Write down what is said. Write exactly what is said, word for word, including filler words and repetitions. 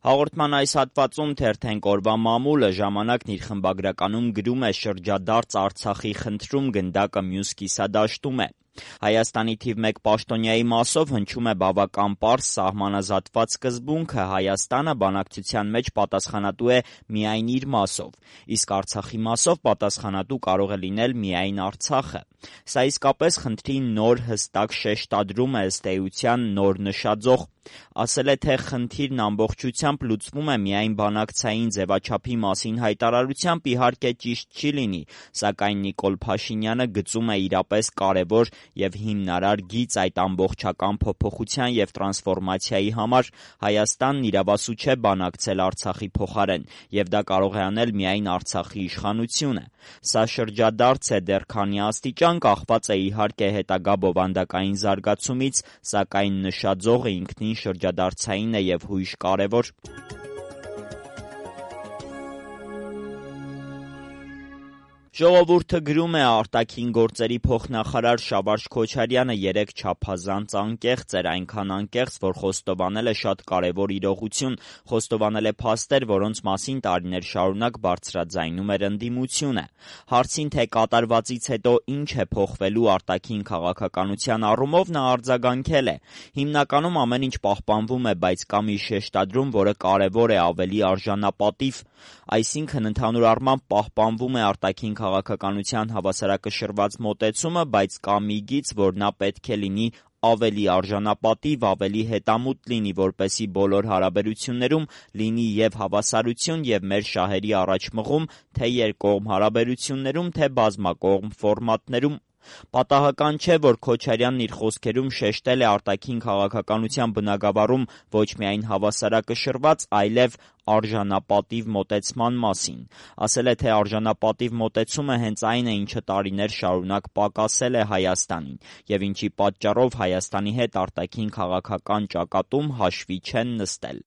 Հաղորդման այս հատվածում թերթենք օրվա մամուլը ժամանակն իր խմբագրականում գրում է շրջադարձ Արցախի խնդրում գնդակը մյուս կիսադաշտում է։ Հայաստանի թիվ մեկ պաշտոնյայի մասով հնչում է բավական պարզ սահմանազատված սկզբունքը՝ Հայաստանը բանակցության մեջ պատասխանատու է միայն իր մասով, իսկ Արցախի մասով պատասխանատու կարող է լինել միայն Արցախը։ Սա իսկապես խնդրի նոր հստակ շեշտադրում է, ըստ էության նոր նշաձող։ Ասել է, թե խնդիրն ամբողջությամբ լուծվում է միայն բանակցային ձևաչափի մասին հայտարարությամբ, իհարկե ճիշտ չի լինի, սակայն Նիկոլ Փաշինյանը գծում է իրապես կարևոր և հիմնարար գիծ այդ ամբողջական փոփոխության և տրանսֆորմացիայի համար։ Հայաստանն իրավասու չէ բանակցել Արցախի փոխարեն, և դա կարող է անել միայն Արցախի իշխանությունը։ Սա շրջադարձ է դեռ քանի աստիճան, կախված է իհարկե հետագա բովանդակային զարգացումից, սակայն նշաձողը ինքնին շրջադարձային է և հույժ կարևոր։ Ժողովուրդը գրում է, արտաքին գործերի փոխնախարար Շավարշ Քոչարյանը երեկ չափազանց անկեղծ էր, այնքան անկեղծ, որ խոստովանել է շատ կարևոր իրողություն, խոստովանել է փաստեր, որոնց մասին տարիներ շարունակ բարձրաձայնում էր ընդդիմությունը։ Հարցին, թե կատարվածից հետո ինչ է փոխվելու արտաքին քաղաքականության առումով, նա արձագանքել է. հիմնականում ամեն ինչ պահպանվում է, բայց կա մի շեշտադրում, որը կարևոր է, ավելի արժանապատիվ, այսինքն ընդհանուր առմամբ պահպանվում է արտաքին քաղաքականության հավասարակշռված մոտեցումը, բայց կա մի գիծ, որ նա պետք է լինի ավելի արժանապատիվ, ավելի հետամուտ լինի, որպեսզի բոլոր հարաբերություններում լինի և հավասարություն, և մեր շահերի առաջմղում, թե երկկողմ հարաբերություններում, թե բազմակողմ ֆորմատներում։ Պատահական չէ, որ Քոչարյանն իր խոսքերում շեշտել է արտաքին քաղաքականության բնագավառում ոչ միայն հավասարակշռված, այլև արժանապատիվ մոտեցման մասին։ Ասել է, թե արժանապատիվ մոտեցումը հենց այն է, ինչը տարիներ շարունակ պակասել է Հայաստանին, և ինչի պատճառով Հայաստանի հետ արտաքին քաղաքական ճակատում հաշվի չեն նստել։